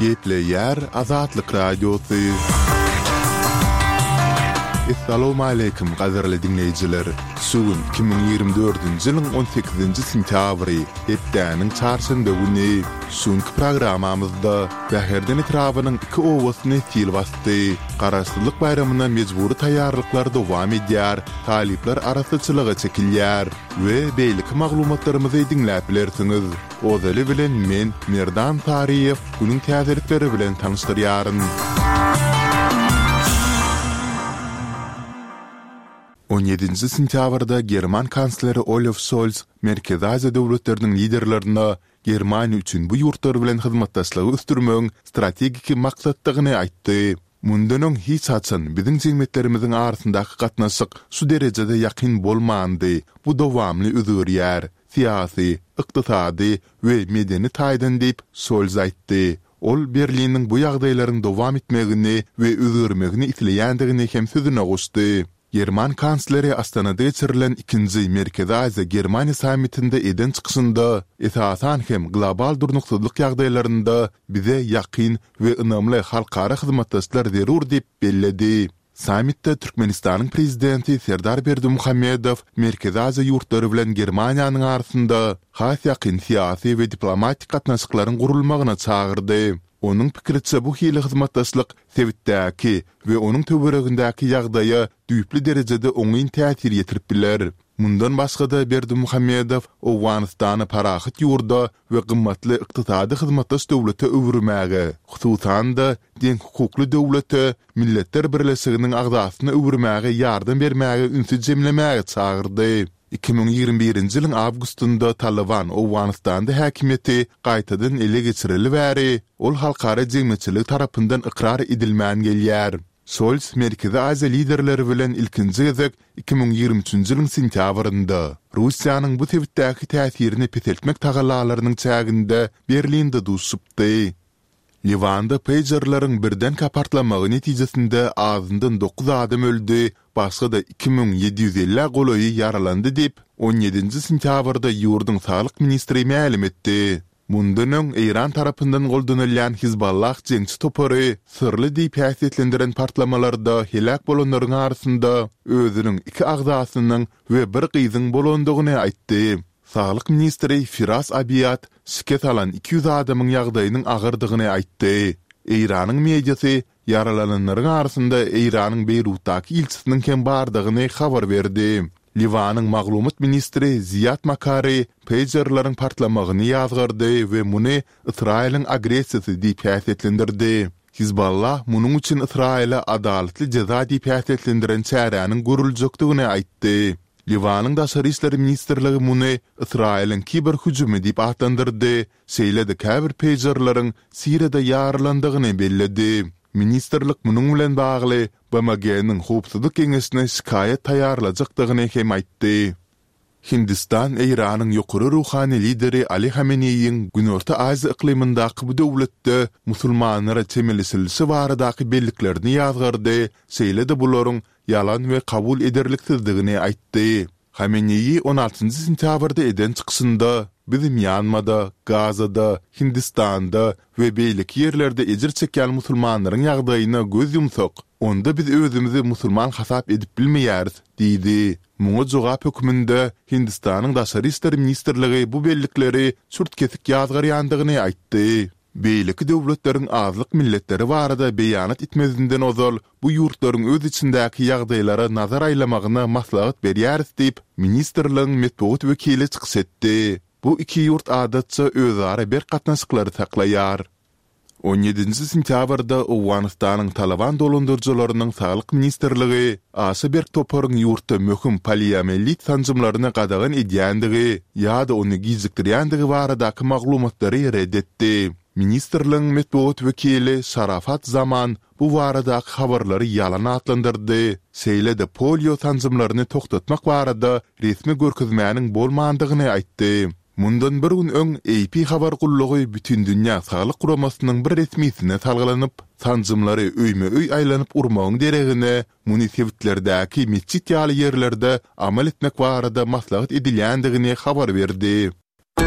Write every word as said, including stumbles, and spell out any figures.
Gepleýär Azatlyk Radiosy. Essalawmaleýkim gadyrly diňleýjiler! Şu gün iki müň ýigrimi dördünji ýylyň on sekizinji sentýabry, hepdäniň çarşenbe güni. Şu günki programmamyzda Bäherden etrabynyň iki obasyny sil basdy. Garaşsyzlyk baýramyna mejbury taýýarlyklar dowam edýär, talyplar arassaçylyga çekilýär we beýleki maglumatlarymyzy diňläp bilersiňiz. Ozaly bilen men, Merdan Saryýew, günüň täzelikleri bilen tanyşdyrýaryn. On ýedinji sentýabrda german kansleri Olaf Şolz Merkezi Aziýa döwletleriniň liderlerine Germaniýa üçin bu ýurtlar bilen hyzmatdaşlygy ösdürmegiň strategiki maksatdygyny aýtdy. Mundan öň hiç haçan biziň jemgyýetlerimiziň arasyndaky gatnaşyk şu derejede ýakyn bolmandy, bu dowamly özgerýär, syýasy, ykdysady we medeni taýdan diýip, Şolz aýtdy. Ol Berliniň bu ýagdaýlaryň dowam etmegini we özgermegini isleýändigini hem sözüne goşdy. German kansleri Astanada geçirilen ikinji Merkezi Aziýa-Germaniýa sammitinde eden çykyşynda, esasan hem global durnuksyzlyk ýagdaýlarynda bize ýakyn we ynamly halkara hyzmatdaşlar zerur diýip belledi. Sammitde Türkmenistanyň Prezidenti Serdar Berdimuhamedow Merkezi Aziýa ýurtlary bilen Germaniýanyň arasynda has ýakyn syýasy we diplomatik gatnaşyklaryň gurulmagyna çagyrdy. Onuň pikiriçe, bu hili hyzmatdaşlyk sebitdäki we onuň töweregindäki ýagdaýa düýpli derejede oňyn täsir ýetirip biler. Mundan başga-da, Berdimuhamedow Owganystany parahat ýurda we gymmatly ykdysady hyzmatdaş döwlete öwürmäge, hususan-da, deňhukukly döwlete, Milletler Birleşiginiň agzasyna öwürmäge ýardam bermäge ünsi jemlemäge çagyrdy. Iki müň ýigrimi birinji ýylyň awgustynda Talyban Owganystanda häkimiýeti gaýtadan ele geçireli bäri, ol halkara jemgyýetçiligi tarapyndan ykrar edilmän gelýär. Şolz Merkezi Aziýa liderleri bilen ilkinji gezek iki müň ýigrimi üçünji ýylyň sentýabrynda, Russiýanyň bu sebitdäki täsirini peseltmek tagallalarynyň çäginde Berlinde duşupdy. Liwanda peýjerleriň birdenkä partlamagy netijesinde azyndan dokuz adam öldi, başga-da iki müň ýedi ýüz ellä golaýy ýaralandy diýip, on ýedinji sentýabrda ýurduň saglyk ministri mälim etdi. Mundan öň Eýran tarapyndan goldanylýan Hizballah jeňçi topary syrly diýip häsiýetlendiren partlamalarda heläk bolanlaryň arasynda özüniň iki agzasynyň we bir gyzyň bolandygyny aýtdy. Saglyk ministri Firas Abiýad şikes alan iki ýüz adamyň ýagdaýynyň agyrdygyny aýtdy. Eýranyň mediasy ýaralananlaryň arasynda Eýranyň Beýrutdaky ilçisiniň hem bardygyny habar berdi. Liwanyň maglumat ministri Ziýad Makary peýjerleriň partlamagyny ýazgardy we muny Ysraýylyň agressiýasy diýip häsiýetlendirdi. Hizballah munuň üçin Ysraýyla adalatly jeza diýip häsiýetlendiren çäräniň görüljekdigini aýtdy. Liwanyň Daşary işler ministrligi muny Ysraýylyň kiber hüjümi diýip atlandyrdy, şeýle-de käbir peýjerleriň Siriýada ýarylandygyny belledi. Ministrlik munuň bilen bagly BMG-niň Howpsuzlyk Geňeşine şikaýat taýýarlajakdygyny hem aýtdy. Hindistan Eýranyň ýokary ruhany lideri Ali Hameneýiň Günorta Aziýa yklymyndaky bu döwletde musulmanlara çemeleşilişi baradaky belliklerini ýazgardy, şeýle-de bularyň ýalan we kabul ederliksizdigini aýtdy. Hameneýi on altynjy sentýabrda eden çykyşynda, Biz Mýanmada, Gazada, Hindistanda we beýleki ýerlerde ejir çekýän musulmanlaryň ýagdaýyna göz ýumsak, onda biz özümizi musulman hasap edip bilmeýäris diýdi. Muňa jogap hökmünde Hindistanyň Daşary işler ministrligi bu bellikleri çürt-kesik ýazgarýandygyny aýtdy. Beýleki döwletleriň azlyk milletleri barada beýanat etmezinden ozal bu ýurtlaryň öz içindäki ýagdaýlara nazar aýlamagyna maslahat berýäris diýip, ministrligiň metbugat wekili çykyş etdi. Bu iki ýurt adatça özara berk gatnaşyklary saklaýar. On ýedinji sentýabrda Owganystanyň Talyban dolandyryjylarynyň Saglyk ministrligi aşa berk toparyň ýurtda möhüm poliomielit sanjymlaryny gadagan edýändigi ýa-da ony gijikdirýändigi baradaky maglumatlary ret etdi. Ministrligiň metbugat wekili Şarafat Zaman bu baradaky habarlary ýalan atlandyrdy, şeýle-de polio sanjymlaryny togtatmak barada resmi görkezmäniň bolmandygyny aýtdy. Mundan bir gün öň A P habar gullugy Bütindünýä saglyk guramasynyň bir resmisine salgylanyp, sanjymlary öýme-öý aýlanyp urmagyň deregine, muny sebitlerdäki metjit ýaly ýerlerde amal etmek barada maslahat edilýändigini habar berdi.